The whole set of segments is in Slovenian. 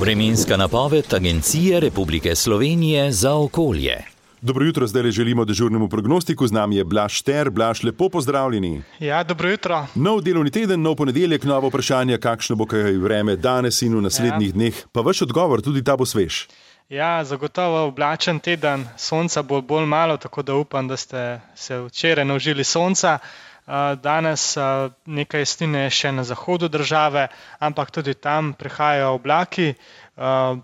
Vremenska napoved Agencije Republike Slovenije za okolje. Dobro jutro, zdaj želimo dežurnemu prognostiku, z nami je Blaž Šter. Blaž, lepo pozdravljeni. Ja, dobro jutro. Nov delovni teden, nov ponedeljek, novo vprašanje, kakšno bo kaj vreme danes in v naslednjih dneh. Pa vaš odgovor, tudi ta bo svež. Ja, zagotovo oblačen teden, sonca bo bolj malo, tako da upam, da ste se včeraj naužili sonca. Danes nekaj jasnine je še na zahodu države, ampak tudi tam prihajajo oblaki.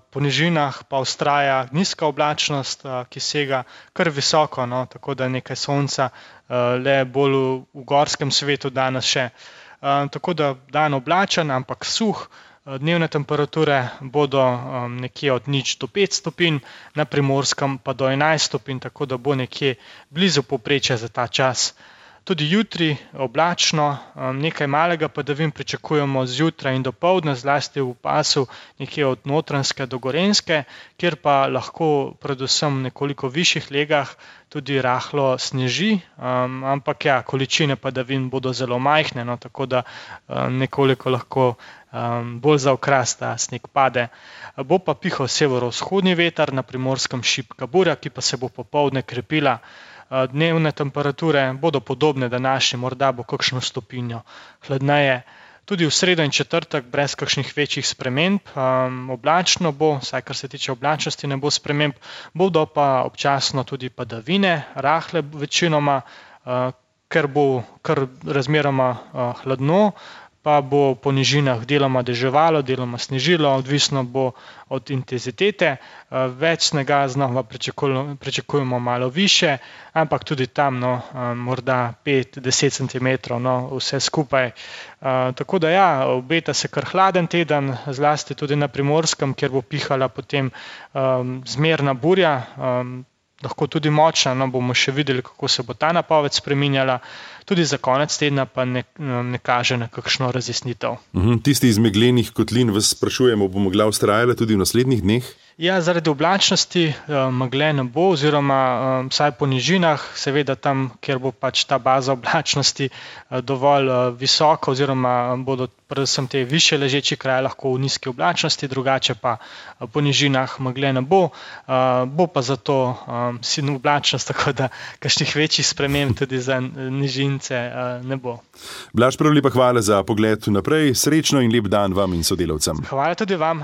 Po nižinah pa vztraja nizka oblačnost, ki sega kar visoko, tako da nekaj sonca le bolj v gorskem svetu danes še. Tako da dan oblačen, ampak suh. Dnevne temperature bodo nekje od 0 do 5 stopinj, na Primorskem pa do 11 stopinj, tako da bo nekje blizu povprečja za ta čas. Tudi jutri oblačno, nekaj malega padavin pričakujemo zjutraj in dopoldne, zlasti v pasu nekje od Notranjske do Gorenjske, kjer pa lahko predvsem v nekoliko višjih legah tudi rahlo sneži, ampak ja, količine padavin bodo zelo majhne, tako da nekoliko lahko bolj za okras ta sneg pade. Bo pa pihal severovzhodni veter, na Primorskem šibka burja, ki pa se bo popoldne krepila. Dnevne temperature bodo podobne današnji, morda bo kakšno stopinjo hladneje. Tudi v sredo in četrtek brez kakšnih večjih sprememb, oblačno bo, vsaj kar se tiče oblačnosti ne bo sprememb, bodo pa občasno tudi padavine, rahle večinoma, ker bo kar razmeroma hladno, pa bo po nižinah deloma deževalo, deloma snežilo, odvisno bo od intenzitete. Več snega znova pričakujemo malo više, ampak tudi tam morda 5-10 cm, vse skupaj. Tako da ja, obeta se kar hladen teden, zlasti tudi na Primorskem, kjer bo pihala potem zmerna burja, lahko tudi močna, bomo še videli, kako se bo ta napoved spreminjala. Tudi za konec tedna pa ne kaže na kakšno razjasnitev. Tisti iz meglenih kotlin vas sprašujemo, bo megla vztrajala tudi v naslednjih dneh? Ja, zaradi oblačnosti megle ne bo, oziroma vsaj po nižinah, seveda tam, kjer bo pač ta baza oblačnosti dovolj visoka, oziroma bodo predvsem te višje ležeči kraji lahko v nizki oblačnosti, drugače pa po nižinah megle ne bo, bo pa zato silna oblačnost, tako da kakšnih večjih sprememb tudi za nižince ne bo. Blaž, prav lepa hvala za pogled naprej, srečno in lep dan vam in sodelavcem. Hvala tudi vam.